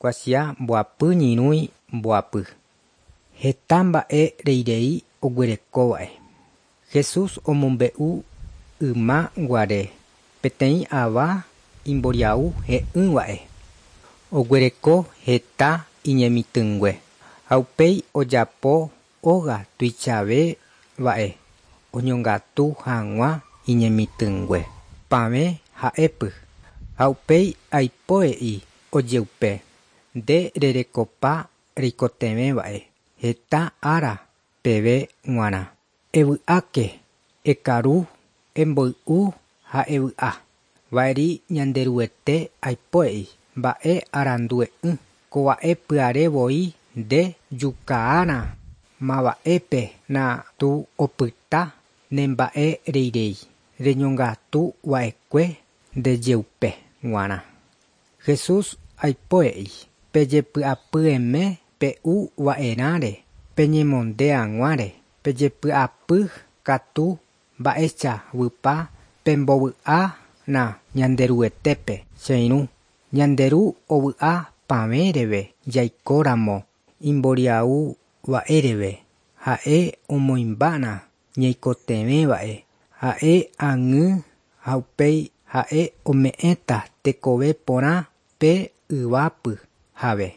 Kuatia mboapy ñyrũi mboapy. Heta mba'e reirei oguerekóva'e. Jesús omombe'u yma guare peteĩ ava imboriahu he'ỹva'e. Oguereko heta iñemitỹngue ha upéi ojapo óga tuichave va'e oñongatu hag̃ua iñemitỹngue. Pavẽ ha'épy. Ha upéi aipo he'i ojeupe: Nde rerekopa reikotevẽva'e heta ára peve g̃uarã. Evy'áke, ekaru, emboy'u ha evy'a. Va'eri Ñanderuete aipo he'i, Mba'e arandue'ỹ, kova'e pyhare voi nde jukaána mava'épe na tu opyta ne mba'e reirei reñongatu va'ekue ndejeupe g̃uarã. Jesús aipo he'i, Pejepy'apyeme pe'u va'erãre, peñemonde hag̃uáre, pejepy'apy katu mba'eichaguýpa pembovy'ána Ñanderuetépe, che irũ. Ñande Ru ovy'a pavẽreve jaikóramo imboriahu va'éreve, ha'e omoĩmbána ñaikotevẽva'e, ha'e ag̃y ha upéi ha'e ome'ẽta tekove porã pe yvápy jave.